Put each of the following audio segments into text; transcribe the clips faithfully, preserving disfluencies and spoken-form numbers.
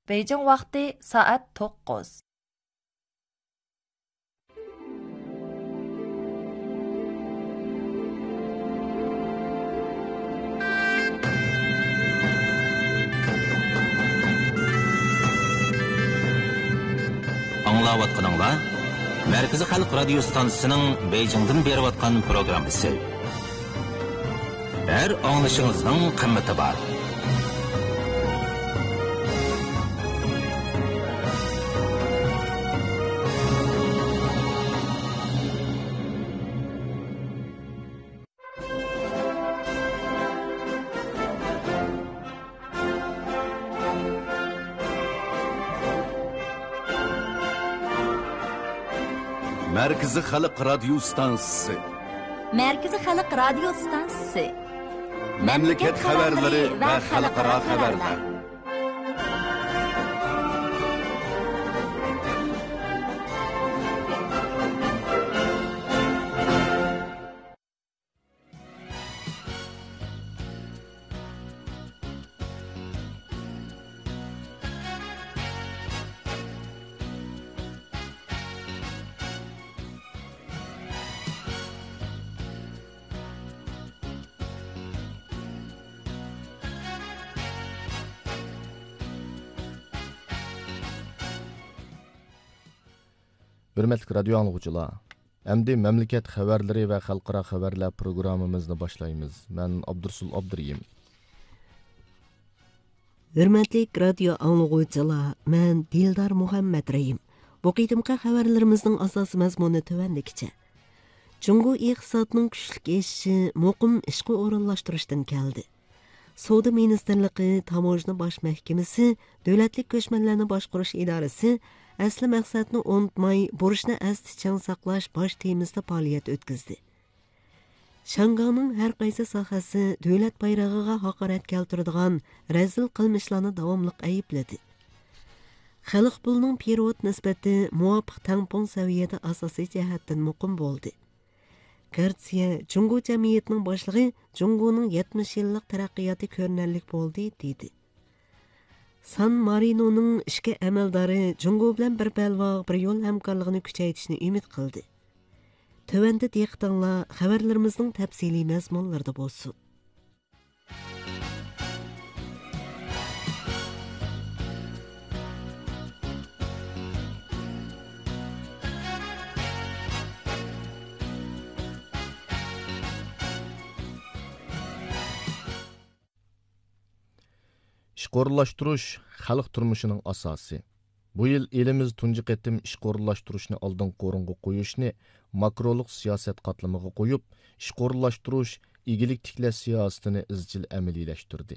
بېيجىڭ ۋاقتى سائەت توققۇز. ئاڭلاۋاتقىنىڭلار مەركىزىي خەلق رادىيو ستانسىسىنىڭ بېيجىڭدىن بېرىۋاتقان پروگراممىسى. ھەر ئاڭلىشىڭىزنىڭ قىممىتى بار. مەركىزىي خەلق رادىيو ستانسىسى. مەركىزىي خەلق رادىيو ستانسىسى. مەملىكەت خەۋەرلىرى ۋە خەلقئارا خەۋەرلەر. ھۆرمەتلىك رادىيو ئاڭلىغۇچىلار، ئەمدى مەملىكەت خەۋەرلىرى ۋە خەلقئارا خەۋەرلەر پروگراممىمىزنى باشلايمىز. مەن ئابدۇرسۇل ئابدۇرېھىم. ھۆرمەتلىك رادىيو ئاڭلىغۇچىلار، مەن دىلدار مۇھەممەترېھىم. بۇ قېتىمقى خەۋەرلىرىمىزنىڭ ئاساسىي مەزمۇنى تۆۋەندىكىچە. جۇڭگو ئىقتىسادىنىڭ كۈچلۈك ئېشىشى مۇقىم ئىشقا ئورۇنلاشتۇرۇشتىن كەلدى. سودا مىنىستىرلىقى، تاموژنا باش مەھكىمىسى، دۆلەتلىك كۆچمەنلەرنى باشقۇرۇش ئىدارىسى ئەسلى مەقسەتنى ئۇنتۇماي، بۇرچنى ئەستە چىڭ ساقلاش باش تېمىسىدا پائالىيەت ئۆتكۈزدى. شياڭگاڭنىڭ ھەر قايسى ساھەسى دۆلەت بايرىقىغا ھاقارەت كەلتۈرىدىغان رەزىل قىلمىشلارنى داۋاملىق ئەيىبلىدى. خەلق پۇلىنىڭ پېرېۋوت نىسبىتى مۇۋاپىق تەڭپۇڭ سەۋىيەدە ئاساسىي جەھەتتىن مۇقىم بولدى. گارتسىيە جۇڭگو جەمئىيىتىنىڭ باشلىقى جۇڭگونىڭ يەتمىش يىللىق تەرەققىياتى كۆرۈنەرلىك بولدى، دېدى. سان مارىنونىڭ ئىچكى ئەمەلدارى جۇڭگو بىلەن بىر بەلباغ، بىر يول ھەمكارلىقىنى كۈچەيتىشنى ئۈمىد قىلدى. تۆۋەندە دىققىتىڭلار خەۋەرلىرىمىزنىڭ تەپسىلىي مەزمۇنلىرىدا بولسۇن. ئىشقا ئورۇنلاشتۇرۇش خەلق تۇرمۇشىنىڭ ئاساسى. بۇ يىل ئېلىمىز تۇنجى قېتىم ئىشقا ئورۇنلاشتۇرۇشنى ئالدىنقى ئورۇنغا قويۇشنى ماكرولۇق سىياسەت قاتلىمىغا قويۇپ، ئىشقا ئورۇنلاشتۇرۇش، ئىگىلىك تىكلەش سىياسىتىنى ئىزچىل ئەمەلىيلەشتۈردى.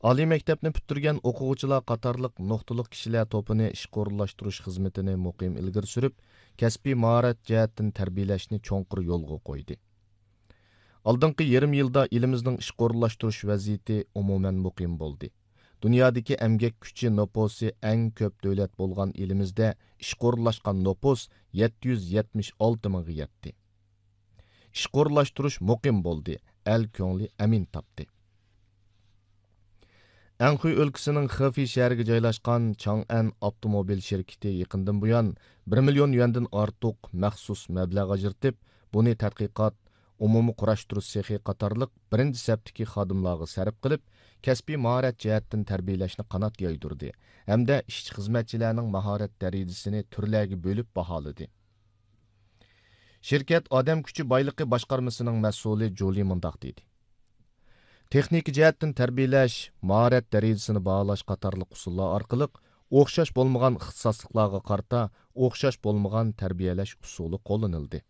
ئالىي مەكتەپنى پۈتتۈرگەن ئوقۇغۇچىلار قاتارلىق نۇقتىلىق كىشىلەر توپىنى ئىشقا ئورۇنلاشتۇرۇش خىزمىتىنى مۇقىم ئىلگىرى سۈرۈپ، كەسپىي ماھارەت جەھەتتىن تەربىيەلەشنى چوڭقۇر يولغا قويدى. ئالدىنقى يېرىم يىلدا ئېلىمىزنىڭ ئىشقا ئورۇنلاشتۇرۇش ۋەزىيىتى ئومۇمەن مۇقىم بولدى. دۇنيادىكى ئەمگەك كۈچى نوپۇسى ئەڭ كۆپ دۆلەت بولغان ئېلىمىزدە ئىشقا ئورۇنلاشقان نوپۇس يەتتە يۈز يەتمىش ئالتە مىڭغا يەتتى. ئىشقا ئورۇنلاشتۇرۇش مۇقىم بولدى، ئەل كۆڭلى ئەمىن تاپتى. ئەنخۇي ئۆلكىسىنىڭ خېفېي شەھىرىگە جايلاشقان چاڭئەن ئاپتوموبىل شىركىتى يېقىندىن بۇيان بىر مىليون يۈەندىن ئارتۇق مەخسۇس مەبلەغ ئاجرىتىپ، بۇنى تەتقىقات، ئومۇمىي قۇراشتۇرۇش سېخى قاتارلىق بىرىنچى سەپتىكى خادىملارغا سەرپ قىلىپ، كەسپىي ماھارەت جەھەتتىن تەربىيەلەشنى قانات يايدۇردى ھەمدە ئىشچى-خىزمەتچىلەرنىڭ ماھارەت دەرىجىسىنى تۈرلەرگە بۆلۈپ باھالىدى. شىركەت ئادەم كۈچى بايلىقى باشقارمىسىنىڭ مەسئۇلى جولى مۇنداق دېدى: تېخنىكا جەھەتتىن تەربىيەلەش، ماھارەت دەرىجىسىنى باھالاش قاتارلىق ئۇسۇللار ئارقىلىق ئوخشاش بولمىغان ئىختىساسلىقلارغا قارىتا ئوخشاش بولمىغان تەربىيەلەش ئۇسۇلى قوللىنىلدى.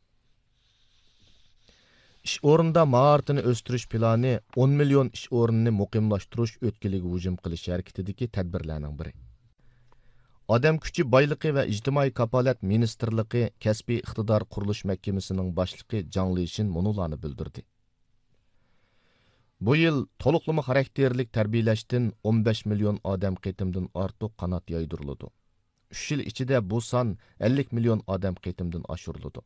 ئىش ئورنىدا ماھارىتىنى ئۆستۈرۈش پىلانى ئون مىليون ئىش ئورنىنى مۇقىملاشتۇرۇش ئۆتكىلىگە ھۇجۇم قىلىش ھەرىكىتىدىكى تەدبىرلەرنىڭ بىرى. ئادەم كۈچى بايلىقى ۋە ئىجتىمائىي كاپالەت مىنىستىرلىقى كەسپىي ئىقتىدار قۇرۇلۇش مەھكىمىسىنىڭ باشلىقى جاڭ لىشىن مۇنۇلارنى بىلدۈردى: بۇ يىل تولۇقلىما خاراكتېرلىك تەربىيەلەشتىن ئون بەش مىليون ئادەم قېتىمدىن ئارتۇق قانات يايدۇرۇلىدۇ. ئۈچ يىل ئىچىدە بۇ سان ئەللىك مىليون ئادەم قېتىمدىن ئاشۇرۇلىدۇ.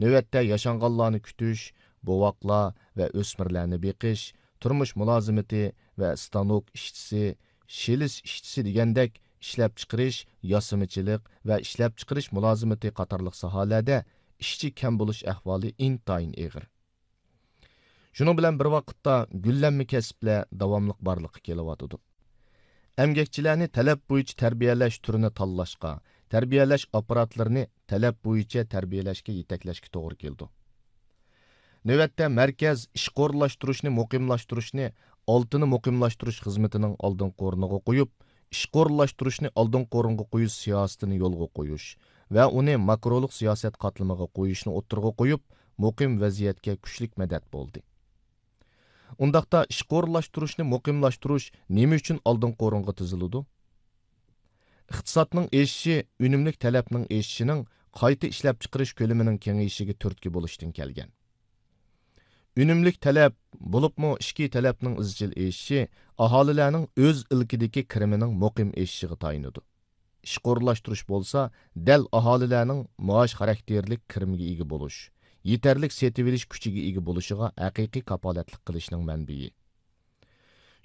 نۆۋەتتە ياشانغانلارنى كۈتۈش، بوۋاقلار ۋە ئۆسمۈرلەرنى بېقىش، تۇرمۇش مۇلازىمىتى ۋە ستانوك ئىشچىسى، شېلىس ئىشچىسى دېگەندەك ئىشلەپچىقىرىش، ياسىمىچىلىق ۋە ئىشلەپچىقىرىش مۇلازىمىتى قاتارلىق ساھەلەردە ئىشچى كەم بولۇش ئەھۋالى ئىنتايىن ئېغىر. شۇنىڭ بىلەن بىر ۋاقىتتا، گۈللەنمە كەسىپلەر داۋاملىق بارلىققا كېلىۋاتىدۇ. ئەمگەكچىلەرنى تەلەپ بويىچە تەربىيەلەش تۈرىنى تاللاشقا، تەربىيەلەش ئاپپاراتلىرىنى تەلەپ بويىچە تەربىيەلەشكە يېتەكلەشكە توغرا كېلىدۇ. نۆۋەتتە، مەركەز ئىشقا ئورۇنلاشتۇرۇشنى مۇقىملاشتۇرۇشنى ئالتىنى مۇقىملاشتۇرۇش خىزمىتىنىڭ ئالدىنقى ئورنىغا قويۇپ، ئىشقا ئورۇنلاشتۇرۇشنى ئالدىنقى ئورۇنغا قويۇش سىياسىتىنى يولغا قويۇش ۋە ئۇنى ماكرولۇق سىياسەت قاتلىمىغا قويۇشنى ئوتتۇرىغا قويۇپ، مۇقىم ۋەزىيەتكە كۈچلۈك مەدەت بولدى. ئۇنداقتا، ئىشقا ئورۇنلاشتۇرۇشنى مۇقىملاشتۇرۇش نېمە ئۈچۈن ئالدىنقى ئورۇنغا تىزىلىدۇ؟ ئىقتىسادنىڭ ئېشىشى ئۈنۈملۈك تەلەپنىڭ ئېشىشىنىڭ قايتا ئىشلەپچىقىرىش كۆلىمىنىڭ كېڭىيىشىگە تۈرتكە بولۇشتىن كەلگەن. ئۈنۈملۈك تەلەپ، بولۇپمۇ ئىچكى تەلەپنىڭ ئىزچىل ئېشىشى ئاھالىلەرنىڭ ئۆز ئىلكىدىكى كىرىمىنىڭ مۇقىم ئېشىشىغا تايىنىدۇ. ئىشقا ئورۇنلاشتۇرۇش بولسا، دەل ئاھالىلەرنىڭ مائاش خاراكتېرلىك كىرىمگە ئىگە بولۇش، يېتەرلىك سېتىۋېلىش كۈچىگە ئىگە بولۇشىغا ھەقىقىي كاپالەتلىك قىلىشنىڭ مەنبىيى.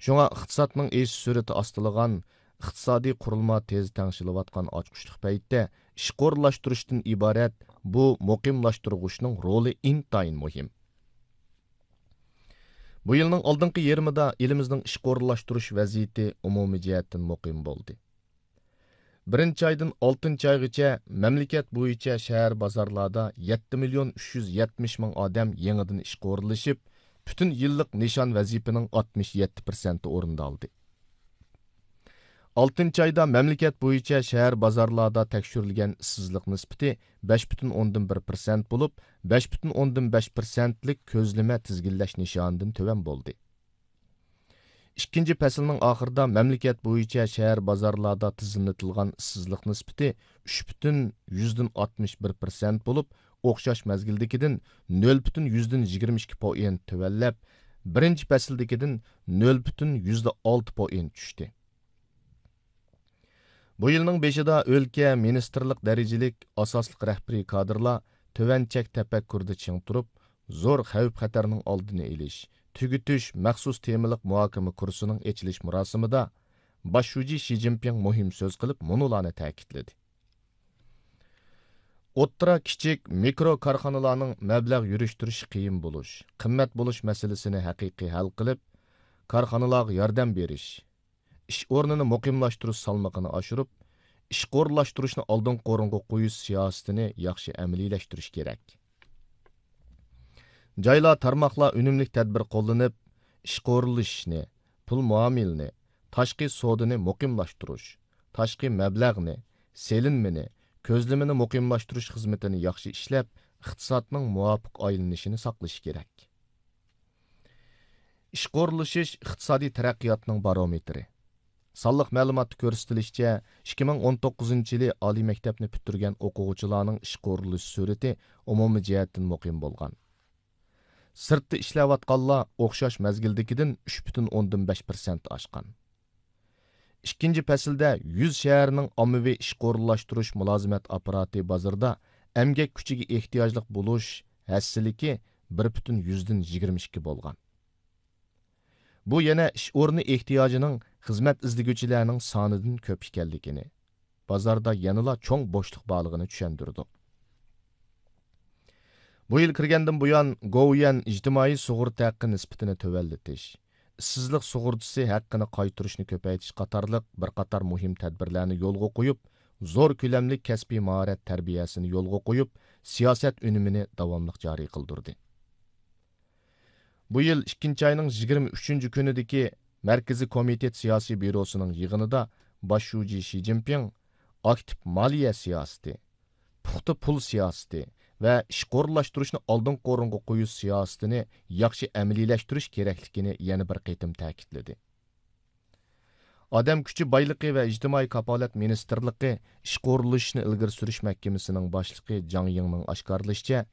شۇڭا ئىقتىسادنىڭ ئېشىش سۈرئىتى ئاستىلىغان، ئىقتىسادىي قۇرۇلما تېز تەڭشىلىۋاتقان ئاچقۇچلۇق پەيتتە، ئىشقا ئورۇنلاشتۇرۇشتىن ئىبارەت بۇ مۇقىملاشتۇرغۇچنىڭ رولى ئىنتايىن مۇھىم. بۇ يىلنىڭ ئالدىنقى يېرىمىدا ئېلىمىزنىڭ ئىشقا ئورۇنلاشتۇرۇش ۋەزىيىتى ئومۇمىي جەھەتتىن مۇقىم بولدى. بىرىنچى ئايدىن ئالتىنچى ئايغىچە مەملىكەت بويىچە شەھەر بازارلاردا يەتتە مىليون ئۈچ يۈز يەتمىش مىڭ ئادەم يېڭىدىن ئىشقا ئورۇنلىشىپ، پۈتۈن يىللىق نىشان ۋەزىپىنىڭ ئاتمىش يەتتە پىرسەنتى ئورۇندالدى. ئالتىنچى ئايدا مەملىكەت بويىچە شەھەر بازارلاردا تەكشۈرۈلگەن ئىشسىزلىق نىسبىتى بەش پۈتۈن ئوندىن بىر پىرسەنت بولۇپ، بەش پۈتۈن ئوندىن بەش پىرسەنتلىك كۆزلىمە تىزگىنلەش نىشانىدىن تۆۋەن بولدى. ئىككىنچى پەسىلنىڭ ئاخىرىدا مەملىكەت بويىچە شەھەر بازارلاردا تىزىملىتىلغان ئىشسىزلىق نىسبىتى ئۈچ پۈتۈن يۈزدىن ئاتمىش بىر پىرسەنت بولۇپ، ئوخشاش مەزگىلدىكىدىن نۆل پۈتۈن يۈزدىن يىگىرمە ئىككى پوئېنت تۆۋەنلەپ، بىرىنچى پەسىلدىكىدىن نۆل پۈتۈن يۈزدە ئالتە پوئېنت چۈشتى. بۇ يىلنىڭ بېشىدا ئۆلكە مىنىستىرلىق دەرىجىلىك ئاساسلىق رەھبىرىي كادىرلار تۆۋەن چەك تەپەككۇرىدا چىڭ تۇرۇپ، زور خەۋپ-خەتەرنىڭ ئالدىنى ئېلىش، تۈگىتىش مەخسۇس تېمىلىق مۇھاكىمە كۇرسىنىڭ ئېچىلىش مۇراسىمىدا باش شۇجى شى جىنپىڭ مۇھىم سۆز قىلىپ، مۇنۇلارنى تەكىتلىدى. ئوتتۇرا، كىچىك، مىكرو كارخانىلارنىڭ مەبلەغ يۈرۈشتۈرۈشى قىيىن بولۇش، قىممەت بولۇش مەسىلىسىنى ھەقىقىي ھەل قىلىپ، كارخانىلارغا ياردەم بېرىش، ئىش ئورنىنى مۇقىملاشتۇرۇش سالمىقىنى ئاشۇرۇپ، ئىشقا ئورۇنلاشتۇرۇشنى ئالدىنقى ئورۇنغا قويۇش سىياسىتىنى ياخشى ئەمەلىيلەشتۈرۈش كېرەك. جايلار، تارماقلار ئۈنۈملۈك تەدبىر قوللىنىپ، ئىشقا ئورۇنلىشىشنى، پۇل مۇئامىلىنى، تاشقى سودىنى مۇقىملاشتۇرۇش، تاشقى مەبلەغنى، سېلىنمىنى، كۆزلىمىنى مۇقىملاشتۇرۇش خىزمىتىنى ياخشى ئىشلەپ، ئىقتىسادنىڭ مۇۋاپىق ئايلىنىشىنى ساقلىشى كېرەك. ئىشقا ئورۇنلىشىش ئىقتىسادىي تەرەققىياتنىڭ بارومېتىرى. سانلىق مەلۇماتتا كۆرسىتىلىشىچە، ئىككى مىڭ ئون توققۇزىنچى يىلى ئالىي مەكتەپنى پۈتتۈرگەن ئوقۇغۇچىلارنىڭ ئىشقا ئورۇنلىشىش سۈرئىتى ئومۇمىي جەھەتتىن مۇقىم بولغان. سىرتتا ئىشلەۋاتقانلار ئوخشاش مەزگىلدىكىدىن ئۈچ پۈتۈن ئوندىن بەش پىرسەنت ئاشقان. ئىككىنچى پەسىلدە يۈز شەھەرنىڭ ئاممىۋى ئىشقا ئورۇنلاشتۇرۇش مۇلازىمەت ئاپپاراتى بازىرىدا ئەمگەك كۈچىگە ئېھتىياجلىق بولۇش ھەسسىلىكى بىر پۈتۈن يۈزدىن يىگىرمە ئىككى بولغان. بۇ يەنە ئىش ئورنى ئېھتىياجىنىڭ خىزمەت ئىزدىگۈچىلەرنىڭ سانىدىن كۆپ ئىكەنلىكىنى، بازاردا يەنىلا چوڭ بوشلۇق بارلىقىنى چۈشەندۈرىدۇ. بۇ يىل كىرگەندىن بۇيان، گوۋۇيۈەن ئىجتىمائىي سۇغۇرتا ھەققى نىسبىتىنى تۆۋەنلىتىش، ئىشسىزلىق سۇغۇرتىسى ھەققىنى قايتۇرۇشنى كۆپەيتىش قاتارلىق بىر قاتار مۇھىم تەدبىرلەرنى يولغا قويۇپ، زور كۆلەملىك كەسپىي ماھارەت تەربىيەسىنى يولغا قويۇپ، سىياسەت ئۈنۈمىنى داۋاملىق جارى قىلدۇردى. بۇ يىل ئىككىنچى ئاينىڭ يىگىرمە ئۈچىنچى كۈنىدىكى مەركىزىي كومىتېت سىياسىي بيۇروسىنىڭ يىغىنىدا باش شۇجى شى جىنپىڭ ئاكتىپ مالىيە سىياسىتى، پۇختا پۇل سىياسىتى ۋە ئىشقا ئورۇنلاشتۇرۇشنى ئالدىنقى ئورۇنغا قويۇش سىياسىتىنى ياخشى ئەمەلىيلەشتۈرۈش كېرەكلىكىنى يەنە بىر قېتىم تەكىتلىدى. ئادەم كۈچى بايلىقى ۋە ئىجتىمائىي كاپالەت مىنىستىرلىقى ئىشقا ئورۇنلىشىشنى ئىلگىرى سۈرۈش مەھكىمىسىنىڭ باشلىقى جاڭ يىڭنىڭ ئاشكارىلىشىچە،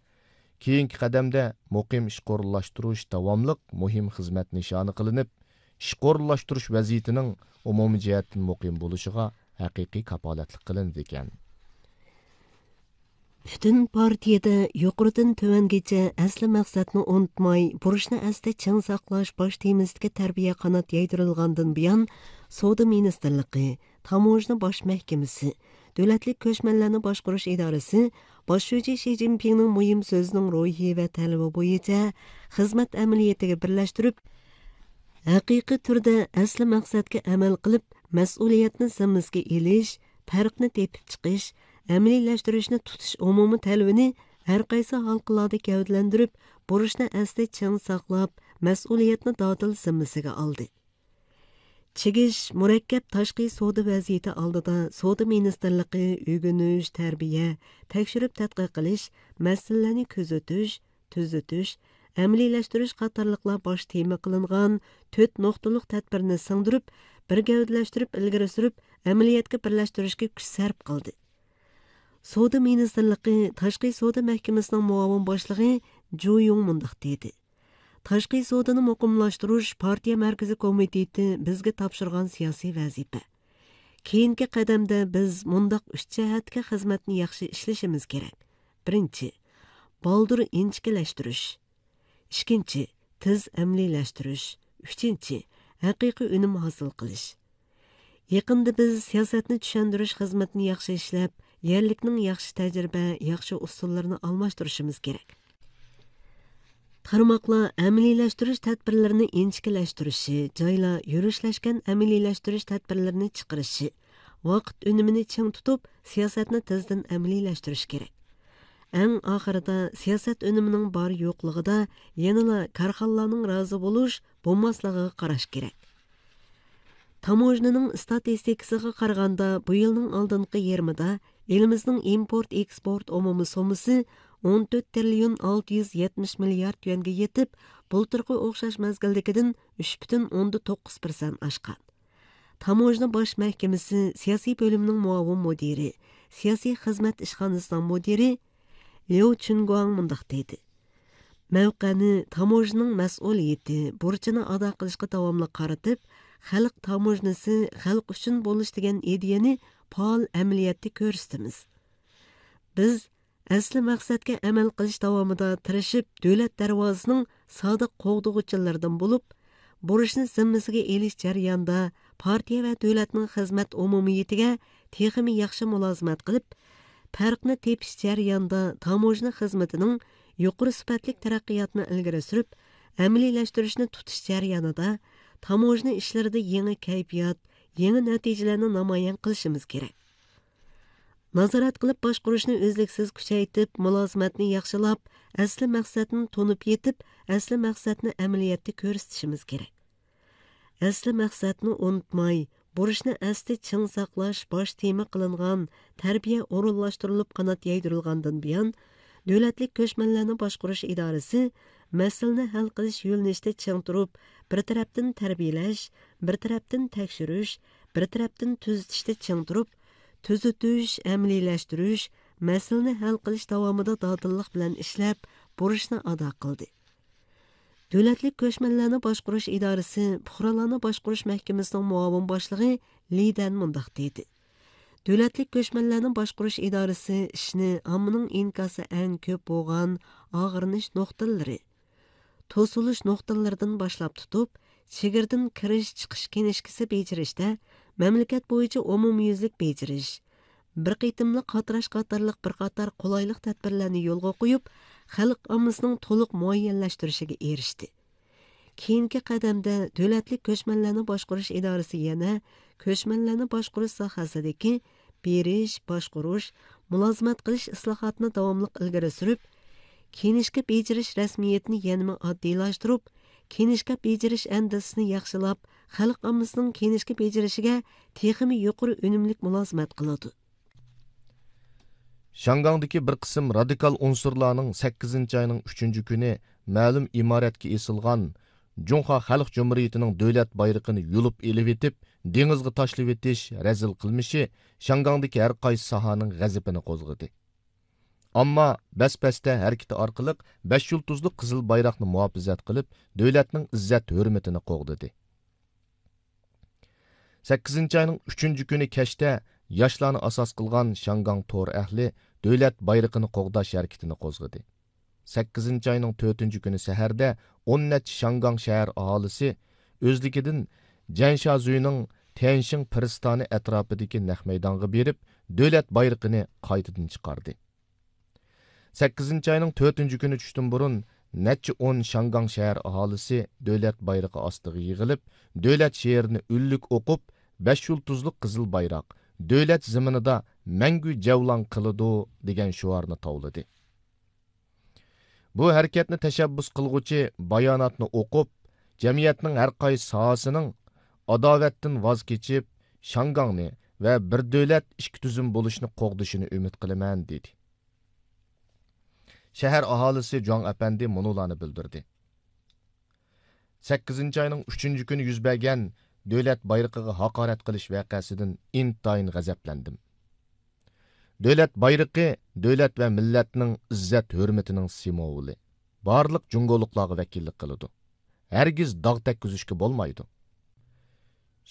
كېيىنكى قەدەمدە مۇقىم ئىشقا ئورۇنلاشتۇرۇش داۋاملىق مۇھىم خىزمەت نىشانى قىلىنىپ، ئىشقا ئورۇنلاشتۇرۇش ۋەزىيىتىنىڭ ئومۇمىي جەھەتتىن مۇقىم بولۇشىغا ھەقىقىي كاپالەتلىك قىلىنىدىكەن. پۈتۈن پارتىيىدە يۇقىرىدىن تۆۋەنگىچە ئەسلى مەقسەتنى ئۇنتۇماي، بۇرچنى ئەستە چىڭ ساقلاش باش تېمىسىدىكى تەربىيە قانات يايدۇرۇلغاندىن بۇيان، سودا مىنىستىرلىقى، تاموژنا باش مەھكىمىسى، دۆلەتلىك كۆچمەنلەرنى باشقۇرۇش ئىدارىسى باش شۇجى شى جىنپىڭنىڭ مۇھىم سۆزىنىڭ روھى ۋە تەلىپى بويىچە خىزمەت ئەمەلىيىتىگە بىرلەشتۈرۈپ، ھەقىقىي تۈردە ئەسلى مەقسەتكە ئەمەل قىلىپ، مەسئۇلىيەتنى زىممىسىگە ئېلىش، پەرقنى تېپىپ چىقىش، ئەمەلىيلەشتۈرۈشنى تۇتۇش ئومۇمىي تەلىپىنى ھەرقايسى ھالقىلاردا گەۋدىلەندۈرۈپ، بۇرچنى ئەستە چىڭ ساقلاپ، مەسئۇلىيەتنى دادىل زىممىسىگە ئالدى. چىگىش، مۇرەككەپ تاشقى سودا ۋەزىيىتى ئالدىدا سودا مىنىستىرلىقى ئۆگىنىش، تەربىيە، تەكشۈرۈپ تەتقىق قىلىش، مەسىلىلەرنى كۆزىتىش، تۈزىتىش، ئەمەلىيلەشتۈرۈش قاتارلىقلار باش تېما قىلىنغان تۆت نۇقتىلىق تەدبىرنى سىڭدۈرۈپ، بىر گەۋدىلەشتۈرۈپ ئىلگىرى سۈرۈپ، ئەمەلىيەتكە بىرلەشتۈرۈشكە كۈچ سەرپ قىلدى. سودا مىنىستىرلىقى تاشقى سودا مەھكىمىسىنىڭ مۇئاۋىن باشلىقى جۇ يۇڭ مۇنداق دېدى: تاشقى سودىنى مۇقىملاشتۇرۇش پارتىيە مەركىزىي كومىتېتى بىزگە تاپشۇرغان سىياسىي ۋەزىپە. كېيىنكى قەدەمدە بىز مۇنداق ئۈچ جەھەتتىكى خىزمەتنى ياخشى ئىشلىشىمىز كېرەك. بىرىنچى، بالدۇر ئىنچىكىلەشتۈرۈش. ئىككىنچى، تېز ئەمەلىيلەشتۈرۈش. ئۈچىنچى، ھەقىقىي ئۈنۈم ھاسىل قىلىش. يېقىندا بىز سىياسەتنى چۈشەندۈرۈش خىزمىتىنى ياخشى ئىشلەپ، يەرلىكنىڭ ياخشى تەجرىبە، ياخشى ئۇسۇللىرىنى ئالماشتۇرۇشىمىز كېرەك. تارماقلار ئەمەلىيلەشتۈرۈش تەدبىرلىرىنى ئىنچىكىلەشتۈرۈشى، جايلار يۈرۈشلەشكەن ئەمەلىيلەشتۈرۈش تەدبىرلىرىنى چىقىرىشى، ۋاقىت ئۈنۈمىنى چىڭ تۇتۇپ، سىياسەتنى تېزدىن ئەمەلىيلەشتۈرۈش كېرەك. ئەڭ ئاخىرىدا سىياسەت ئۈنۈمىنىڭ بار يوقلۇقىدا يەنىلا كارخانىلارنىڭ رازى بولۇش، بولماسلىقىغا قاراش كېرەك. تاموژنىنىڭ ئىستاتىستىكىسىغا قارىغاندا، بۇ يىلنىڭ ئالدىنقى يېرىمىدا ئېلىمىزنىڭ ئىمپورت ئېكسپورت ئومۇمىي سوممىسى ئون تۆت تىرىليون ئالتە يۈز يەتمىش مىليارد يۈەنگە يېتىپ، بۇلتۇرقى ئوخشاش مەزگىلدىكىدىن ئۈچ پۈتۈن ئوندىن توققۇز پىرسەنت ئاشقان. تاموژنا باش مەھكىمىسى سىياسىي بۆلۈمىنىڭ مۇئاۋىن مۇدىرى، سىياسىي خىزمەت ئىشخانىسىنىڭ مۇدىرى ليۇ چۈنگۇاڭ مۇنداق دېدى: مەۋقەنى تاموژنىنىڭ مەسئۇلىيىتى، بۇرچىنى ئادا قىلىشقا داۋاملىق قارىتىپ، خەلق تاموژنىسى خەلق ئۈچۈن بولۇش دېگەن ئىدىيەنى پائال ئەمەلىيەتتە كۆرسىتىمىز. بىز ئەسلى مەقسەتكە ئەمەل قىلىش داۋامىدا تىرىشىپ، دۆلەت دەرۋازىسىنىڭ سادىق قوغدىغۇچىلىرىدىن بولۇپ، بۇرچنى زىممىسىگە ئېلىش جەريانىدا پارتىيە ۋە دۆلەتنىڭ خىزمەت ئومۇمىيىتىگە تېخىمۇ ياخشى مۇلازىمەت قىلىپ، پەرقنى تېپىش جەريانىدا تاموژنا خىزمىتىنىڭ يۇقىرى سۈپەتلىك تەرەققىياتىنى ئىلگىرى سۈرۈپ، ئەمەلىيلەشتۈرۈشنى تۇتۇش جەريانىدا تاموژنا ئىشلىرىدا يېڭى كەيپىيات، يېڭى نەتىجىلەرنى نامايان قىلىشىمىز كېرەك. نازارەت قىلىپ باشقۇرۇشنى ئۈزلۈكسىز كۈچەيتىپ، مۇلازىمەتنى ياخشىلاپ، ئەسلى مەقسەتنى تونۇپ يېتىپ، ئەسلى مەقسەتنى ئەمەلىيەتتە كۆرسىتىشىمىز كېرەك. ئەسلى مەقسەتنى ئۇنتۇماي، بۇرچنى ئەستە چىڭ ساقلاش باش تېما قىلىنغان تەربىيە ئورۇنلاشتۇرۇلۇپ قانات يايدۇرۇلغاندىن بۇيان، دۆلەتلىك كۆچمەنلەرنى باشقۇرۇش ئىدارىسى مەسىلىنى ھەل قىلىش يۆنىلىشىدە چىڭ تۇرۇپ، بىر تەرەپتىن تەربىيەلەش، بىر تەرەپتىن تەكشۈرۈش، بىر تەرەپتىن تۈزىتىشتە چىڭ تۇرۇپ، تۈزىتىش، ئەمەلىيلەشتۈرۈش، مەسىلىنى ھەل قىلىش داۋامىدا دادىللىق بىلەن ئىشلەپ، بۇرچنى ئادا قىلدى. دۆلەتلىك كۆچمەنلەرنى باشقۇرۇش ئىدارىسى پۇقرالارنى باشقۇرۇش مەھكىمىسىنىڭ مۇئاۋىن باشلىقى لى دەن مۇنداق دېدى: دۆلەتلىك كۆچمەنلەرنى باشقۇرۇش ئىدارىسى ئىشنى ئاممىنىڭ ئىنكاسى ئەڭ كۆپ بولغان ئاغرىنىش نۇقتىلىرى، توسۇلۇش نۇقتىلىرىدىن باشلاپ تۇتۇپ، چېگرىدىن كىرىش چىقىش كىنىشكىسى بېجىرىشتە مەملىكەت بويىچە ئومۇميۈزلۈك بېجىرىش، بىر قېتىملىق قاتراش قاتارلىق بىر قاتار قولايلىق تەدبىرلەرنى يولغا قويۇپ، خەلق ئاممىسىنىڭ تولۇق مۇئەييەنلەشتۈرۈشىگە ئېرىشتى. كېيىنكى قەدەمدە دۆلەتلىك كۆچمەنلەرنى باشقۇرۇش ئىدارىسى يەنە كۆچمەنلەرنى باشقۇرۇش ساھەسىدىكى بېرىش، باشقۇرۇش، مۇلازىمەت قىلىش ئىسلاھاتىنى داۋاملىق ئىلگىرى سۈرۈپ، كىنىشكا بېجىرىش رەسمىيىتىنى يەنىمۇ ئاددىيلاشتۇرۇپ، كىنىشكا بېجىرىش ئەندىزىسىنى ياخشىلاپ، خەلق ئاممىسىنىڭ كىنىشكا بېجىرىشىگە تېخىمۇ يۇقىرى ئۈنۈملۈك مۇلازىمەت قىلىدۇ. شياڭگاڭدىكى بىر قىسىم رادىكال ئۇنسۇرلارنىڭ سەككىزىنچى ئاينىڭ ئۈچىنچى كۈنى مەلۇم ئىمارەتكە ئېسىلغان جۇڭخۇا خەلق جۇمھۇرىيىتىنىڭ دۆلەت بايرىقىنى يۇلۇپ ئېلىۋېتىپ، دېڭىزغا تاشلىۋېتىش رەزىل قىلمىشى شياڭگاڭدىكى ھەر قايسى ساھەنىڭ غەزىپىنى قوزغىدى. ئامما بەس-بەستە ھەرىكىتى ئارقىلىق بەش يۇلتۇزلۇق قىزىل بايراقنى مۇھاپىزەت قىلىپ، دۆلەتنىڭ ئىززەت-ھۆرمىتىنى قوغدىدى. سەككىزىنچى ئاينىڭ ئۈچىنچى كۈنى كەچتە ياشلارنى ئاساس قىلغان شياڭگاڭ تور ئەھلى دۆلەت بايرىقىنى قوغداش ھەرىكىتىنى قوزغىدى. سەككىزىنچى ئاينىڭ تۆتىنچى كۈنى سەھەردە ئون نەچچە شياڭگاڭ شەھەر ئاھالىسى ئۆزلۈكىدىن جەنشازۈينىڭ تيەنشىڭ پىرىستانى ئەتراپىدىكى نەق مەيدانغا بېرىپ، دۆلەت بايرىقىنى قايتىدىن چىقاردى. سەككىزىنچى ئاينىڭ تۆتىنچى كۈنى چۈشتىن بۇرۇن نەچچە ئون شياڭگاڭ شەھەر ئاھالىسى دۆلەت بايرىقى ئاستىغا يىغىلىپ، دۆلەت شېئىرىنى ئۈنلۈك ئوقۇپ، بەش يۇلتۇزلۇق قىزىل بايراق، دۆلەت زېمىنىدا مەڭگۈ جەۋلان قىلىدۇ دېگەن شوئارنى تاۋلىدى. بۇ ھەرىكەتنى تەشەببۇس قىلغۇچى باياناتنى ئوقۇپ، جەمئىيەتنىڭ ھەر قايسى ساھەسىنىڭ ئاداۋەتتىن ۋاز كېچىپ، شياڭگاڭنى ۋە بىر دۆلەت، ئىككى تۈزۈم بولۇشنى قوغدىشىنى ئۈمىد قىلىمەن، دېدى. شەھەر ئاھالىسى جۇاڭ ئەپەندى مۇنۇلارنى بىلدۈردى: سەككىزىنچى ئاينىڭ ئۈچىنچى كۈنى يۈز بەرگەن دۆلەت بايرىقىغا ھاقارەت قىلىش ۋەقەسىدىن ئىنتايىن غەزەپلەندىم. دۆلەت بايرىقى دۆلەت ۋە مىللەتنىڭ ئىززەت-ھۆرمىتىنىڭ سىمۋولى. بارلىق جۇڭگولۇقلارغا ۋەكىللىك قىلىدۇ. ھەرگىز داغ تەگكۈزۈشكە بولمايدۇ.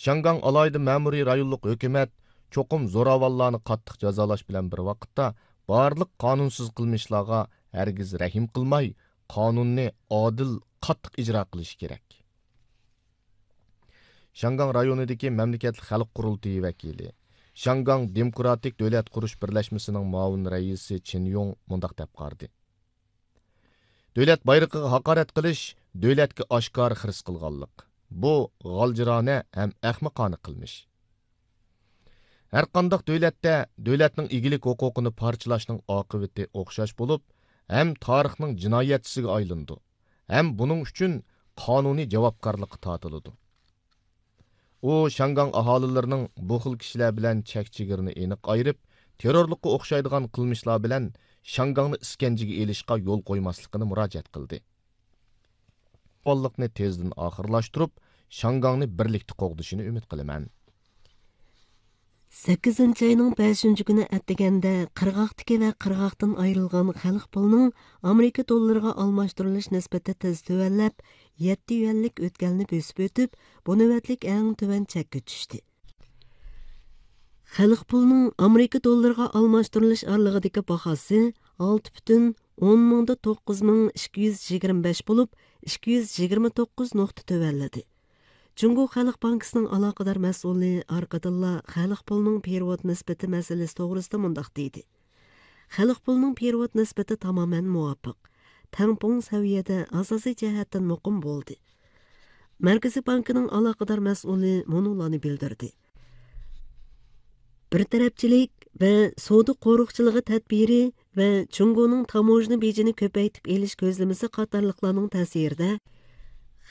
شياڭگاڭ ئالاھىدە مەمۇرىي رايونلۇق ھۆكۈمەت چوقۇم زوراۋانلارنى قاتتىق جازالاش بىلەن بىر ۋاقىتتا، بارلىق قانۇنسىز قىلمىشلارغا ھەرگىز رەھىم قىلماي، قانۇننى ئادىل، قاتتىق ئىجرا قىلىشى كېرەك. شياڭگاڭ رايونىدىكى مەملىكەتلىك خەلق قۇرۇلتىيى ۋەكىلى، شياڭگاڭ دېموكراتىك دۆلەت قۇرۇش بىرلەشمىسىنىڭ مۇئاۋىن رەئىسى چېن يۇڭ مۇنداق دەپ قارىدى: دۆلەت بايرىقىغا ھاقارەت قىلىش دۆلەتكە ئاشكارا خىرىس قىلغانلىق. بۇ غالجىرانە ھەم ئەخمىقانە قىلمىش. ھەرقانداق دۆلەتتە دۆلەتنىڭ ئىگىلىك ھوقۇقىنى پارچىلاشنىڭ ئاقىۋىتى ئوخشاش بولۇپ، ھەم تارىخنىڭ جىنايەتچىسىگە ئايلىنىدۇ، ھەم بۇنىڭ ئۈچۈن قانۇنىي جاۋابكارلىققا تارتىلىدۇ. ئۇ شياڭگاڭ ئاھالىلىرىنىڭ بۇ خىل كىشىلەر بىلەن چەك-چېگرىنى ئېنىق ئايرىپ، تېررورلۇققا ئوخشايدىغان قىلمىشلار بىلەن شياڭگاڭنى ئىسكەنجىگە ئېلىشقا يول قويماسلىقىنى مۇراجىئەت قىلدى. قۇربانلىقنى تېزدىن ئاخىرلاشتۇرۇپ، شياڭگاڭنى بىرلىكتە قوغدىشىنى ئۈمىد قىلىمەن. سەككىزىنچى ئاينىڭ بەشىنچى كۈنى ئەتىگەندە قىرغاقتىكى ۋە قىرغاقتىن ئايرىلغان خەلق پۇلىنىڭ ئامېرىكا دوللىرىغا ئالماشتۇرۇلۇش نىسبىتى تېز تۆۋەنلەپ، يەتتە يۈەنلىك ئۆتكەلنى بۆسۈپ ئۆتۈپ، بۇ نۆۋەتلىك ئەڭ تۆۋەن چەككە چۈشتى. خەلق پۇلىنىڭ ئامېرىكا دوللىرىغا ئالماشتۇرۇلۇش ئارىلىقىدىكى باھاسى ئالتە پۈتۈن ئون مىڭدا توققۇز مىڭ ئىككى يۈز يىگىرمە بەش بولۇپ، ئىككى يۈز يىگىرمە توققۇز نۇقتا تۆۋەنلىدى. جۇڭگو خەلق بانكىسىنىڭ ئالاقىدار مەسئۇلى ئارقىدىنلا خەلق پۇلىنىڭ پېرېۋوت نىسبىتى مەسىلىسى توغرىسىدا مۇنداق دېدى: خەلق پۇلىنىڭ پېرېۋوت نىسبىتى تامامەن مۇۋاپىق، تەڭپۇڭ سەۋىيەدە، ئاساسىي جەھەتتىن مۇقىم بولدى. مەركىزىي بانكىنىڭ ئالاقىدار مەسئۇلى مۇنۇلارنى بىلدۈردى: بىر تەرەپچىلىك ۋە سودا قورۇقچىلىقى تەدبىرى ۋە جۇڭگونىڭ تاموژنا بېجىنى كۆپەيتىپ ئېلىش كۆزلىمىسى قاتارلىقلارنىڭ تەسىرىدە،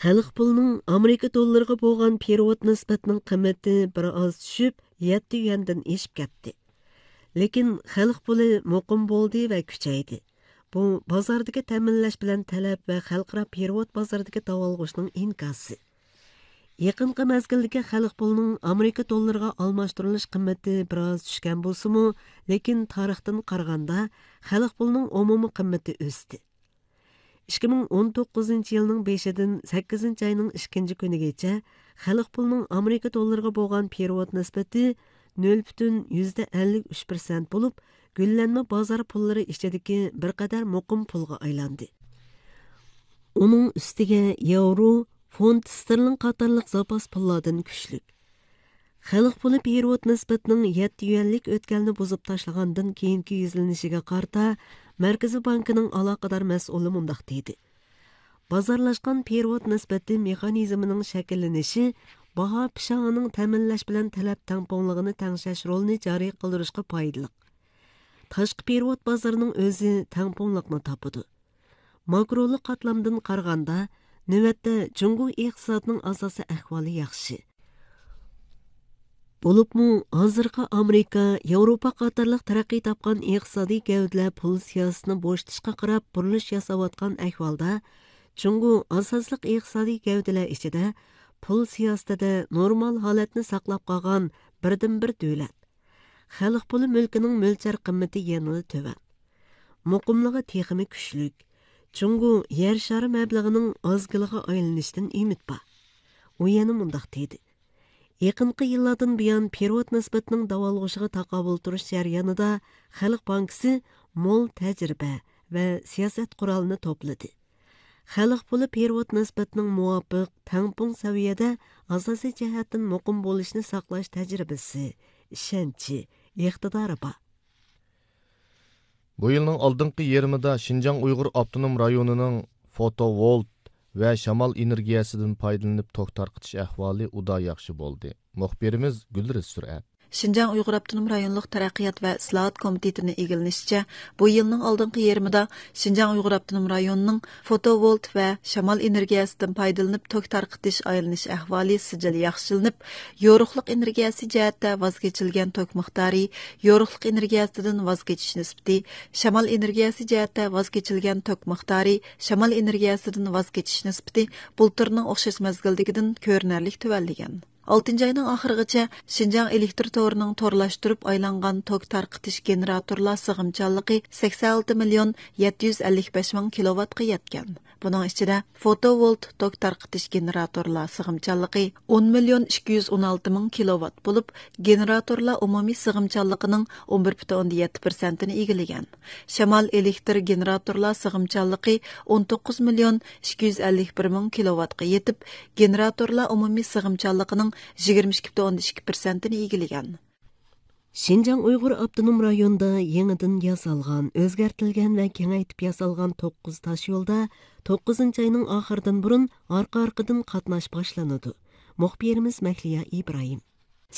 خەلق پۇلىنىڭ ئامېرىكا دوللىرىغا بولغان پېرېۋوت نىسبەتنىڭ قىممىتى بىر ئاز چۈشۈپ، يەتتە يۈەندىن ئېشىپ كەتتى. لېكىن خەلق پۇلى مۇقىم بولدى ۋە كۈچەيدى. بۇ بازاردىكى تەمىنلەش بىلەن تەلەپ ۋە خەلقئارا پېرېۋوت بازىرىدىكى داۋالغۇشنىڭ ئىنكاسى. يېقىنقى مەزگىلدىكى خەلق پۇلىنىڭ ئامېرىكا دوللىرىغا ئالماشتۇرۇلۇش قىممىتى بىر ئاز چۈشكەن بولسىمۇ، لېكىن تارىختىن قارىغاندا، خەلق پۇلىنىڭ ئومۇمىي قىممىتى ئۆستى. ئىككى مىڭ ئون توققۇزىنچى يىلنىڭ بېشىدىن سەككىزىنچى ئاينىڭ ئىككىنچى كۈنىگىچە خەلق پۇلىنىڭ ئامېرىكا دوللىرىغا بولغان پېرېۋوت نىسبىتى نۆل پۈتۈن يۈزدە ئەللىك ئۈچ پىرسەنت بولۇپ، گۈللەنمە بازار پۇللىرى ئىچىدىكى بىر قەدەر مۇقىم پۇلغا ئايلاندى. ئۇنىڭ ئۈستىگە ياۋرو، فونت ستېرلىڭ قاتارلىق زاپاس پۇللاردىن كۈچلۈك. خەلق پۇلى پېرېۋوت نىسبىتىنىڭ يەتتە يۈەنلىك ئۆتكەلنى بۇزۇپ تاشلىغاندىن كېيىنكى يۈزلىنىشىگە قارىتا، مەركىزىي بانكىنىڭ ئالاقىدار مەسئۇلى مۇنداق دېدى: بازارلاشقان پېرېۋوت نىسبىتى مېخانىزمىنىڭ شەكىللىنىشى باھا پىشاڭىنىڭ تەمىنلەش بىلەن تەلەپ تەڭپۇڭلۇقىنى تەڭشەش رولىنى جارى قىلدۇرۇشقا پايدىلىق. تاشقى پېرېۋوت بازىرىنىڭ ئۆزى تەڭپۇڭلۇقنى تاپىدۇ. ماكرولۇق قاتلامدىن قارىغاندا، نۆۋەتتە جۇڭگو ئىقتىسادىنىڭ ئاساسىي ئەھۋالى ياخشى. بولۇپمۇ ھازىرقى ئامېرىكا، ياۋروپا قاتارلىق تەرەققىي تاپقان ئىقتىسادىي گەۋدىلەر پۇل سىياسىتىنى بوشىتىشقا قاراپ بۇرۇلۇش ياساۋاتقان ئەھۋالدا، جۇڭگو ئاساسلىق ئىقتىسادىي گەۋدىلەر ئىچىدە پۇل سىياسىتىدە نورمال ھالەتنى ساقلاپ قالغان بىردىنبىر دۆلەت. خەلق پۇلى مۈلكىنىڭ مۆلچەر قىممىتى يەنىلا تۆۋەن. مۇقىملىقى تېخىمۇ كۈچلۈك. جۇڭگو يەر شارى مەبلىغىنىڭ ئازگىلىغا ئايلىنىشىدىن ئۈمىد بار. ئۇ يەنە مۇنداق دېدى: يېقىنقى يىللاردىن بۇيان پېرېۋوت نىسبىتىنىڭ داۋالغۇشىغا تاقابىل تۇرۇش جەريانىدا خەلق بانكىسى مول تەجرىبە ۋە سىياسەت قورالىنى توپلىدى. خەلق پۇلى پېرېۋوت نىسبىتىنىڭ مۇۋاپىق، تەڭپۇڭ سەۋىيەدە ئاساسىي جەھەتتىن مۇقىم بولۇشىنى ساقلاش تەجرىبىسى، ئىشەنچى، ئىقتىدارى بار. بۇ يىلنىڭ ئالدىنقى يېرىمىدا شىنجاڭ ئۇيغۇر ئاپتونوم رايونىنىڭ فوتوۋولت ۋە شامال ئېنېرگىيەسىدىن پايدىلىنىپ توك تارقىتىش ئەھۋالى ئۇدا ياخشى بولدى. مۇخبىرىمىز گۈلرىز سۈرئەت. شىنجاڭ ئۇيغۇر ئاپتونوم رايونلۇق تەرەققىيات ۋە ئىسلاھات كومىتېتىنىڭ ئىگىلىنىشىچە، بۇ يىلنىڭ ئالدىنقى يېرىمىدا شىنجاڭ ئۇيغۇر ئاپتونوم رايونىنىڭ فوتوۋولت ۋە شامال ئېنېرگىيەسىدىن پايدىلىنىپ توك تارقىتىش ئايلىنىش ئەھۋالى سىجىل ياخشىلىنىپ، يورۇقلۇق ئېنېرگىيەسى جەھەتتە ۋاز كېچىلگەن توك مىقدارى، يورۇقلۇق ئېنېرگىيەسىدىن ۋاز كېچىش نىسبىتى، شامال ئېنېرگىيەسى جەھەتتە ۋاز كېچىلگەن توك مىقدارى، شامال ئېنېرگىيەسىدىن ۋاز كېچىش نىسبىتى بۇلتۇرنىڭ ئوخشاش مەزگىلدىكىدىن كۆرۈنەرلىك تۆۋەنلىگەن. ئالتىنچى ئاينىڭ ئاخىرىغىچە شىنجاڭ ئېلېكتر تورىنىڭ تورلاشتۇرۇپ ئايلانغان توك تارقىتىش گېنېراتورلار سىغىمچانلىقى سەكسەن ئالتە مىليون يەتتە يۈز ئەللىك بەش مىڭ كىلوۋاتقا يەتكەن. بۇنىڭ ئىچىدە فوتوۋولت توك تارقىتىش گېنېراتورلار سىغىمچانلىقى ئون مىليون ئىككى يۈز ئون ئالتە مىڭ كىلوۋات بولۇپ، گېنېراتورلار ئومۇمىي سىغىمچانلىقىنىڭ ئون بىر پۈتۈن ئوندىن يەتتە پىرسەنتىنى ئىگىلىگەن. شامال ئېلېكتر گېنېراتورلار سىغىمچانلىقى ئون توققۇز مىليون ئىككى يۈز ئەللىك بىر مىڭ كىلوۋاتقا يېتىپ، گېنېراتورلار ئومۇمىي سىغىمچانلىقىنىڭ يىگىرمە ئىككى پۈتۈن ئوندىن ئىككى پىرسەنتىنى ئىگىلىگەن. شىنجاڭ ئۇيغۇر ئاپتونوم رايونىدا يېڭىدىن ياسالغان، ئۆزگەرتىلگەن ۋە كېڭەيتىپ ياسالغان توققۇز تاشيولدا توققۇزىنچى ئاينىڭ ئاخىرىدىن بۇرۇن ئارقا-ئارقىدىن قاتناش باشلىنىدۇ. مۇخبىرىمىز مەھلىيا ئىبراھىم.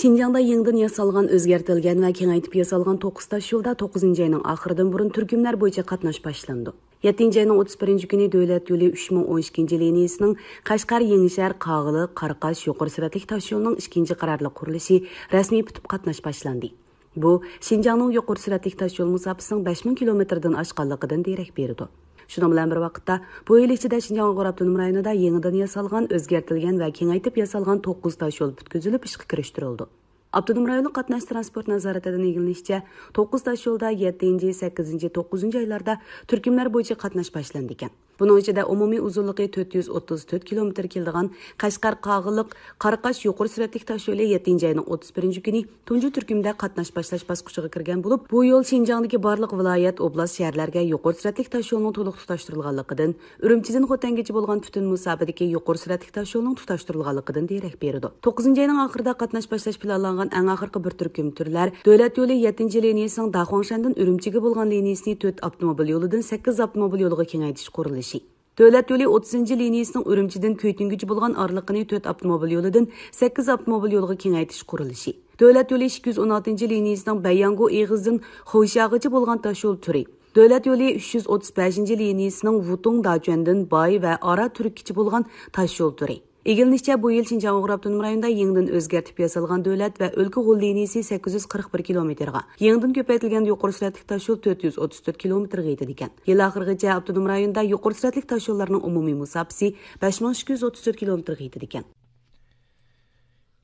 شىنجاڭدا يېڭىدىن ياسالغان، ئۆزگەرتىلگەن ۋە كېڭەيتىپ ياسالغان توققۇز تاشيولدا توققۇزىنچى ئاينىڭ ئاخىرىدىن بۇرۇن تۈركۈملەر بويىچە قاتناش باشلىنىدۇ. يەتتىنچى ئاينىڭ ئوتتۇز بىرىنچى كۈنى دۆلەت يولى ئۈچ مىڭ ئون ئىككىنچى لىنىيىسىنىڭ قەشقەر، يېڭىشەھەر، قاغىلىق، قاراقاش يۇقىرى سۈرئەتلىك تاشيولىنىڭ ئىككىنچى قارارلىق قۇرۇلۇشى رەسمىي پۈتۈپ قاتناش باشلاندى. بۇ، شىنجاڭنىڭ يۇقىرى سۈرئەتلىك تاشيول مۇساپىسىنىڭ بەش مىڭ كىلومېتىردىن ئاشقانلىقىدىن دېرەك بېرىدۇ. شۇنىڭ بىلەن بىر ۋاقىتتا، بۇ يىل ئىچىدە شىنجاڭ ئۇيغۇر ئاپتونوم رايونىدا يېڭىدىن ياسالغان، ئۆزگەرتىلگەن ۋە كېڭەيتىپ ياسالغان توققۇز تاشيول پۈتكۈزۈلۈپ ئىشقا كىرىشتۈرۈلىدۇ. ئاپتونوم رايونلۇق قاتناش تىرانسپورت نازارىتىدىن ئىگىلىنىشىچە، توققۇز تاشيولدا يەتتىنچى، سەككىزىنچى، توققۇزىنچى ئايلاردا تۈركۈملەر بويىچە قاتناش باشلىنىدىكەن. بۇنىڭ ئىچىدە ئومۇمىي ئۇزۇنلۇقى تۆت يۈز ئوتتۇز تۆت كىلومېتىر كېلىدىغان قەشقەر، قاغىلىق، قاراقاش يۇقىرى سۈرئەتلىك تاشيولى يەتتىنچى ئاينىڭ ئوتتۇز بىرىنچى كۈنى تۇنجى تۈركۈمدە قاتناش باشلاش باسقۇچىغا كىرگەن بولۇپ، بۇ يول شىنجاڭدىكى بارلىق ۋىلايەت، ئوبلاست، شەھەرلەرگە يۇقىرى سۈرئەتلىك تاشيولنىڭ تولۇق تۇتاشتۇرۇلغانلىقىدىن، ئۈرۈمچىدىن خوتەنگىچە بولغان پۈتۈن مۇساپىدىكى يۇقىرى سۈرئەتلىك تاشيولنىڭ تۇتاشتۇرۇلغانلىقىدىن دېرەك بېرىدۇ. توققۇزىنچى ئاينىڭ ئاخىرىدا قاتناش باشلاش پىلانلانغان ئەڭ ئاخىرقى بىر تۈركۈم تۈرلەر دۆلەت يولى يەتتىنچى لىنىيىسىنىڭ داخۇاڭشەندىن ئۈرۈمچىگە بولغان لىنىيىسىنى تۆت ئاپتوموبىل يولىدىن سەككىز ئاپتوموبىل يولىغا كېڭەيتىش قۇرۇلۇشى. دۆلەت يولى ئوتتۇزىنچى لىنىيىسىنىڭ ئۈرۈمچىدىن كۈيتۈنگۈچە بولغان ئارىلىقىنى تۆت ئاپتوموبىل يولىدىن سەككىز ئاپتوموبىل يولىغا كېڭەيتىش قۇرۇلۇشى. دۆلەت يولى ئىككى يۈز ئون ئالتىنچى لىنىيىسىنىڭ بەيياڭگۇ ئېغىزىدىن خۇيشاغىچە بولغان تاشيول تۈرى. دۆلەت يولى ئۈچ يۈز ئوتتۇز بەشىنچى لىنىيىسىنىڭ ۋۇتۇڭ داچۈەندىن باي ۋە ئارا تۈرككىچە بولغان تاشيول تۈرى. ئىگىلىنىشىچە، بۇ يىل شىنجاڭ ئۇيغۇر ئاپتونوم رايونىدا يېڭىدىن ئۆزگەرتىپ ياسالغان دۆلەت ۋە ئۆلكە غول لىنىيىسى سەككىز يۈز قىرىق بىر كىلومېتىرغا، يېڭىدىن كۆپەيتىلگەن يۇقىرى سۈرئەتلىك تاشيول تۆت يۈز ئوتتۇز تۆت كىلومېتىرغا يېتىدىكەن. يىل ئاخىرىغىچە ئاپتونوم رايوندا يۇقىرى سۈرئەتلىك تاشيوللارنىڭ ئومۇمىي مۇساپىسى بەش مىڭ ئىككى يۈز ئوتتۇز تۆت كىلومېتىرغا يېتىدىكەن.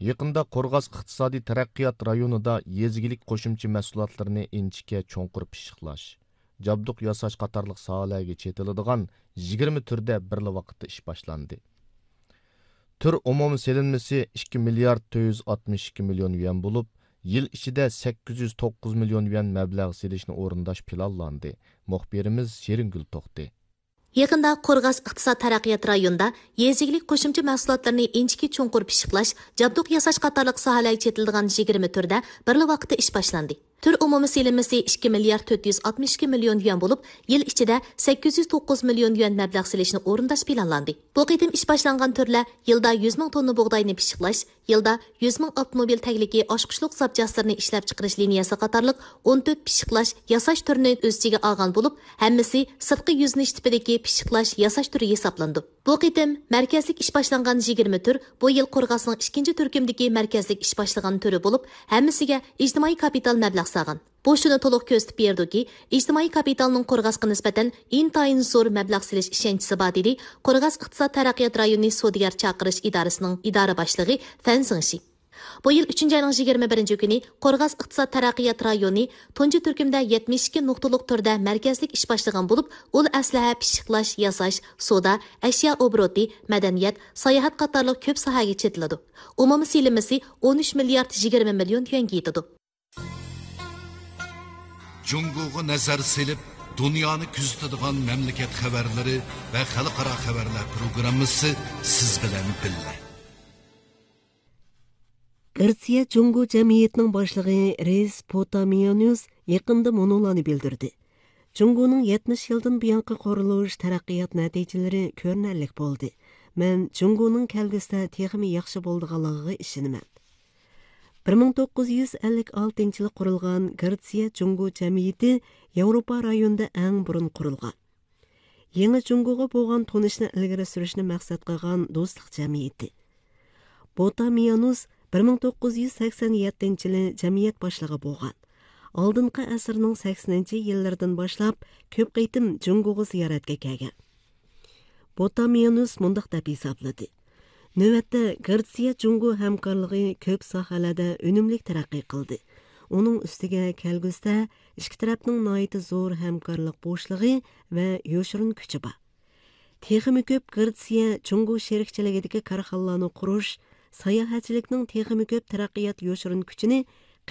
يېقىندا قورغاس ئىقتىسادىي تەرەققىيات رايونىدا يېزا ئىگىلىك قوشۇمچە مەھسۇلاتلىرىنى ئىنچىكە چوڭقۇر پىششىقلاش، جابدۇق ياساش قاتارلىق ساھەلەرگە چېتىلىدىغان يىگىرمە تۈردە بىرلا ۋاقىتتا ئىش باشلاندى. تۈر ئومۇمىي سېلىنمىسى ئىككى مىليارد تۆت يۈز ئاتمىش ئىككى مىليون يۈەن بولۇپ، يىل ئىچىدە سەككىز يۈز توققۇز مىليون يۈەن مەبلەغ سېلىشنى ئورۇنداش پىلانلاندى. مۇخبىرىمىز شېرىنگۈل توختى. يېقىندا قورغاس ئىقتىساد تەرەققىيات رايونىدا يېزا ئىگىلىك قوشۇمچە مەھسۇلاتلىرىنى ئىنچىكە چوڭقۇر پىششىقلاش، جابدۇق ياساش قاتارلىق ساھەلەرگە چېتىلىدىغان يىگىرمە تۈردە بىرلا ۋاقىتتا ئىش باشلاندى. تۈر ئومۇمىي سېلىنمىسى ئىككى مىليارد تۆت يۈز ئاتمىش ئىككى مىليون يۈەن بولۇپ، يىل ئىچىدە سەككىز يۈز توققۇز مىليون يۈەن مەبلەغ سېلىشنى ئورۇنداش پىلانلاندى. بۇ قېتىم ئىش باشلانغان تۈرلەر يىلدا يۈز مىڭ توننا بۇغداينى پىششىقلاش، يىلدا يۈز مىڭ ئاپتوموبىل تەگلىكى ئاچقۇچلۇق زاپچاسلىرىنى ئىشلەپچىقىرىش لىنىيەسى قاتارلىق ئون تۆت پىششىقلاش، ياساش تۈرىنى ئۆز ئىچىگە ئالغان بولۇپ، ھەممىسى سىرتقى يۈزلىنىش تىپىدىكى پىششىقلاش، ياساش تۈرى ھېسابلىنىدۇ. بۇ قېتىم مەركەزلىك ئىش باشلانغان يىگىرمە تۈر بۇ يىل قورغاسنىڭ ئىككىنچى تۈركۈمدىكى مەركەزلىك ئىش باشلىغان تۈرى بولۇپ، ھەممىسىگە ئىجتىمائىي كاپىتال مەبلەغ سالغان. بۇ شۇنى تولۇق كۆرسىتىپ بېرىدۇكى، ئىجتىمائىي كاپىتالنىڭ قورغاسقا نىسبەتەن ئىنتايىن زور مەبلەغ سېلىش ئىشەنچىسى بار، دېدى قورغاس ئىقتىساد تەرەققىيات رايونى سودىگەر چاقىرىش ئىدارىسىنىڭ ئىدارە باشلىقى فەن زېڭشى. بۇ يىل ئۈچىنچى ئاينىڭ يىگىرمە بىرىنچى كۈنى قورغاس ئىقتىساد تەرەققىيات رايونى تۇنجى تۈركۈمدە يەتمىش ئىككى نۇقتىلىق تۈردە مەركەزلىك ئىش باشلىغان بولۇپ، ئۇل ئەسلىھە پىششىقلاش، ياساش، سودا، ئەشيا ئوبوروتى، مەدەنىيەت، ساياھەت قاتارلىق كۆپ ساھەگە چېتىلىدۇ. ئومۇمىي سېلىنمىسى ئون ئۈچ مىليارد يىگىرمە مىليون يۈەنگە يېتىدۇ. جۇڭگوغا نەزەر سېلىپ، دۇنيانى كۆزىتىدىغان مەملىكەت خەۋەرلىرى ۋە خەلقئارا خەۋەرلەر پروگراممىسى سىز بىلەن بىللە. گرېتسىيە جۇڭگو جەمئىيىتىنىڭ باشلىقى رېس پوتامىيانۇس يېقىندا مۇنۇلارنى بىلدۈردى: جۇڭگونىڭ يەتمىش يىلدىن بۇيانقى قۇرۇلۇش، تەرەققىيات نەتىجىلىرى كۆرۈنەرلىك بولدى. مەن جۇڭگونىڭ كەلگۈسىدە تېخىمۇ ياخشى بولىدىغانلىقىغا ئىشىنىمەن. بىر مىڭ توققۇز يۈز ئەللىك ئالتىنچى يىلى قۇرۇلغان گرېتسىيە جۇڭگو جەمئىيىتى ياۋروپا رايونىدا ئەڭ بۇرۇن قۇرۇلغان. يېڭى جۇڭگوغا بولغان تونۇشنى ئىلگىرى سۈرۈشنى مەقسەت قىلغان دوستلۇق جەمئىيىتى. بوتامىيانۇس بىر مىڭ توققۇز يۈز سەكسەن يەتتىنچى يىلى جەمئىيەت باشلىقى بولغان. ئالدىنقى ئەسىرنىڭ سەكسىنىنچى يىللىرىدىن باشلاپ كۆپ قېتىم جۇڭگوغا زىيارەتكە كەلگەن. بوتامىيانۇس مۇنداق دەپ ھېسابلىدى: نۆۋەتتە گرېتسىيە جۇڭگو ھەمكارلىقى كۆپ ساھەلەردە ئۈنۈملۈك تەرەققىي قىلدى. ئۇنىڭ ئۈستىگە كەلگۈسىدە ئىككى تەرەپنىڭ ناھايىتى زور ھەمكارلىق بوشلۇقى ۋە يوشۇرۇن كۈچى بار. تېخىمۇ كۆپ گرېتسىيە جۇڭگو شېرىكچىلىكىدىكى كارخانىلارنى قۇرۇش، ساياھەتچىلىكنىڭ تېخىمۇ كۆپ تەرەققىيات يوشۇرۇن كۈچىنى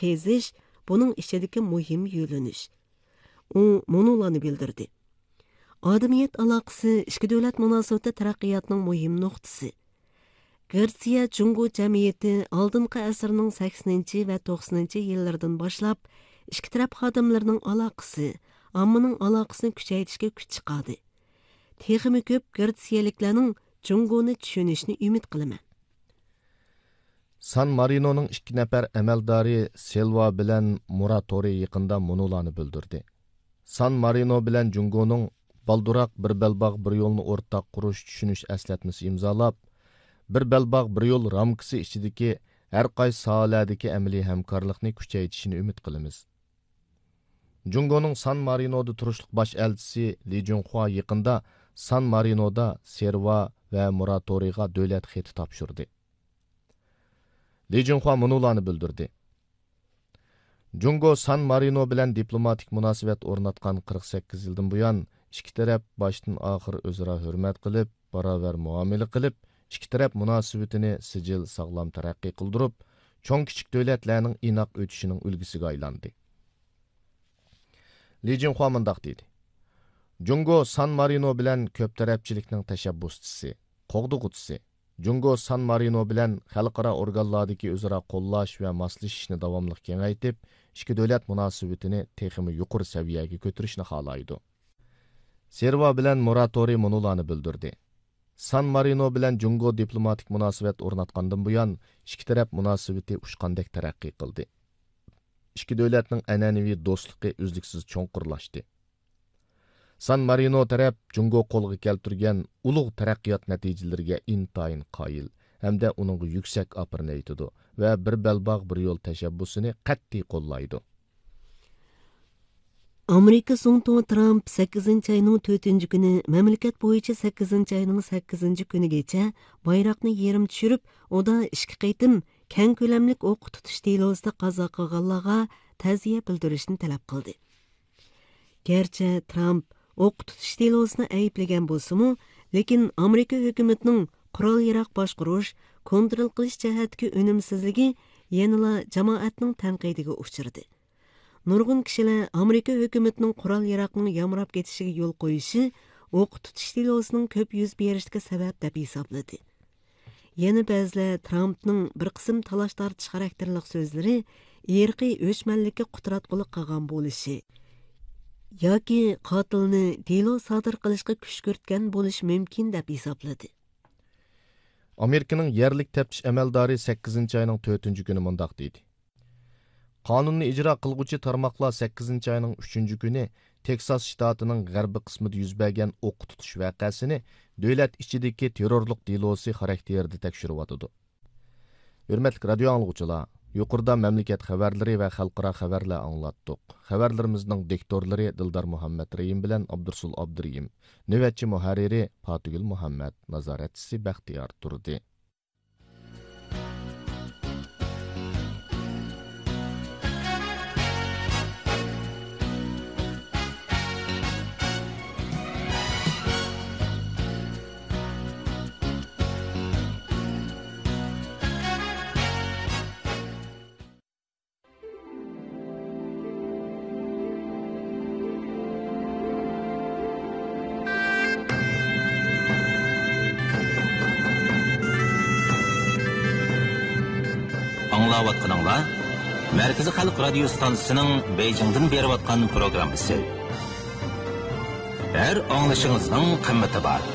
قېزىش بۇنىڭ ئىچىدىكى مۇھىم يۆنىلىش. ئۇ مۇنۇلارنى بىلدۈردى: ئادەمىيەت ئالاقىسى ئىككى دۆلەت مۇناسىۋىتى تەرەققىياتنىڭ مۇھىم نۇقتىسى. گرېتسىيە جۇڭگو جەمئىيىتى ئالدىنقى ئەسىرنىڭ سەكسىنىنچى ۋە توقسىنىنچى يىللىرىدىن باشلاپ ئىككى تەرەپ خادىملىرىنىڭ ئالاقىسى، ئاممىنىڭ ئالاقىسىنى كۈچەيتىشكە كۈچ چىقاردى. تېخىمۇ كۆپ گرېتسىيەلىكلەرنىڭ جۇڭگونى چۈشىنىشىنى ئۈمىد قىلىمەن. سان مارىنونىڭ ئىككى نەپەر ئەمەلدارى سىلۋا بىلەن مۇراتورى يېقىندا مۇنۇلارنى بىلدۈردى: سان مارىنو بىلەن جۇڭگونىڭ بالدۇراق بىر بەلباغ بىر يولنى ئورتاق قۇرۇش چۈشىنىش ئەسلەتمىسى ئىمزالاپ، بىر بەلباغ بىر يول رامكىسى ئىچىدىكى ھەر قايسى ساھەلەردىكى ئەمەلىي ھەمكارلىقنى كۈچەيتىشىنى ئۈمىد قىلىمىز. جۇڭگونىڭ سان مارىنودا تۇرۇشلۇق باش ئەلچىسى لى جۇڭخۇا يېقىندا سان مارىنودا سىلۋا ۋە مۇراتورىغا دۆلەت خېتى تاپشۇردى. لى جۇڭخۇا مۇنۇلارنى بىلدۈردى: جۇڭگو سان مارىنو بىلەن دىپلوماتىك مۇناسىۋەت ئورناتقان قىرىق سەككىز يىلدىن بۇيان، ئىككى تەرەپ باشتىن ئاخىر ئۆزئارا ھۆرمەت قىلىپ، باراۋەر مۇئامىلە قىلىپ، ئىككى تەرەپ مۇناسىۋىتىنى سىجىل ساغلام تەرەققىي قىلدۇرۇپ، چوڭ كىچىك دۆلەتلەرنىڭ ئىناق ئۆتۈشىنىڭ ئۈلگىسىگە ئايلاندى. لى جىنخۇا مۇنداق دېدى: جۇڭگو سان مارىنو بىلەن كۆپ تەرەپچىلىكنىڭ تەشەببۇسچىسى، قوغدىغۇچىسى. جۇڭگو سان مارىنو بىلەن خەلقئارا ئورگانلاردىكى ئۆزئارا قوللاش ۋە ماسلىشىشنى داۋاملىق كېڭەيتىپ، ئىككى دۆلەت مۇناسىۋىتىنى تېخىمۇ يۇقىرى سەۋىيەگە كۆتۈرۈشنى خالايدۇ. سېرۋا بىلەن موراتورىي مۇنۇلارنى بىلدۈردى: سان مارىنو بىلەن جۇڭگو دىپلوماتىك مۇناسىۋەت ئورناتقاندىن بۇيان، ئىككى تەرەپ مۇناسىۋىتى ئۇچقاندەك تەرەققىي قىلدى. ئىككى دۆلەتنىڭ ئەنئەنىۋى دوستلۇقى ئۈزلۈكسىز چوڭقۇرلاشتى. سان مارىنو تەرەپ جۇڭگو قولغا كەلتۈرگەن ئۇلۇغ تەرەققىيات نەتىجىلىرىگە ئىنتايىن قايىل ھەمدە ئۇنىڭغا يۈكسەك ئاپىرىن ئېيتىدۇ ۋە بىر بەلباغ، بىر يول تەشەببۇسىنى قەتئىي قوللايدۇ. ئامېرىكا زۇڭتۇڭى ترامپ سەككىزىنچى ئاينىڭ تۆتىنچى كۈنى، مەملىكەت بويىچە سەككىزىنچى ئاينىڭ سەككىزىنچى كۈنىگىچە بايراقنى يېرىم چۈشۈرۈپ، ئۇدا ئىككى قېتىم كەڭ كۆلەملىك ئوققا تۇتۇش دېلوسىدا قازا قىلغانلارغا تەزىيە بىلدۈرۈشنى تەلەپ قىلدى. گەرچە ترامپ ئوققا تۇتۇش دېلوسىنى ئەيىبلىگەن بولسىمۇ، لېكىن ئامېرىكا ھۆكۈمىتىنىڭ قورال ياراغ باشقۇرۇش، كونترول قىلىش جەھەتتىكى ئۈنۈمسىزلىكى يەنىلا جامائەتنىڭ تەنقىدىگە ئۇچرىدى. نۇرغۇن كىشىلەر ئامېرىكا ھۆكۈمىتىنىڭ قورال ياراغنىڭ يامراپ كېتىشىگە يول قويۇشى ئوققا تۇتۇش دېلوسىنىڭ كۆپ يۈز بېرىشىگە سەۋەب دەپ ھېسابلىدى. يەنە بەزىلەر ترامپنىڭ بىر قىسىم تالاش-تارتىش خاراكتېرلىق سۆزلىرى ئىرقىي ئۆچمەنلىككە قۇتراتقۇلۇق قىلغان بولۇشى ياكى قاتىلنى دېلو سادىر قىلىشقا كۈشكۈرتكەن بولۇشى مۇمكىن دەپ ھېسابلىدى. ئامېرىكىنىڭ يەرلىك تەپتىش ئەمەلدارى سەككىزىنچى ئاينىڭ تۆتىنچى كۈنى مۇنداق دېدى: قانۇننى ئىجرا قىلغۇچى تارماقلار سەككىزىنچى ئاينىڭ ئۈچىنچى كۈنى تېكساس شتاتىنىڭ غەربىي قىسمىدا يۈز بەرگەن ئوققا تۇتۇش ۋەقەسىنى دۆلەت ئىچىدىكى تېررورلۇق دېلوسى خاراكتېرىدە تەكشۈرۈۋاتىدۇ. ھۆرمەتلىك رادىيو ئاڭلىغۇچىلار، يۇقىرىدا مەملىكەت خەۋەرلىرى ۋە خەلقئارا خەۋەرلەر ئاڭلاتتۇق. خەۋەرلىرىمىزنىڭ دىكتورلىرى دىلدار مۇھەممەترېھىم بىلەن ئابدۇرسۇل ئابدۇرېھىم، نۆۋەتچى مۇھەررىرى پاتىگۈل مۇھەممەت، نازارەتچىسى بەختىيار تۇردى. ئاڭلاۋاتقىنىڭلار مەركىزىي خەلق رادىيو ستانسىسىنىڭ بېيجىڭدىن بېرىۋاتقان پروگراممىسى. ھەر ئاڭلىشىڭىزنىڭ قىممىتى بار.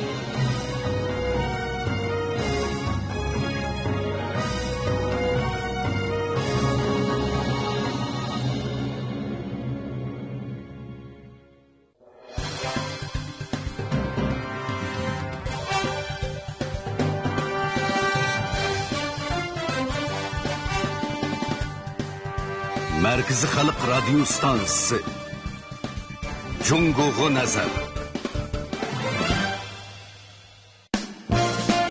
مەركىزىي خەلق رادىيو ستانسىسى. جۇڭگوغا نەزەر.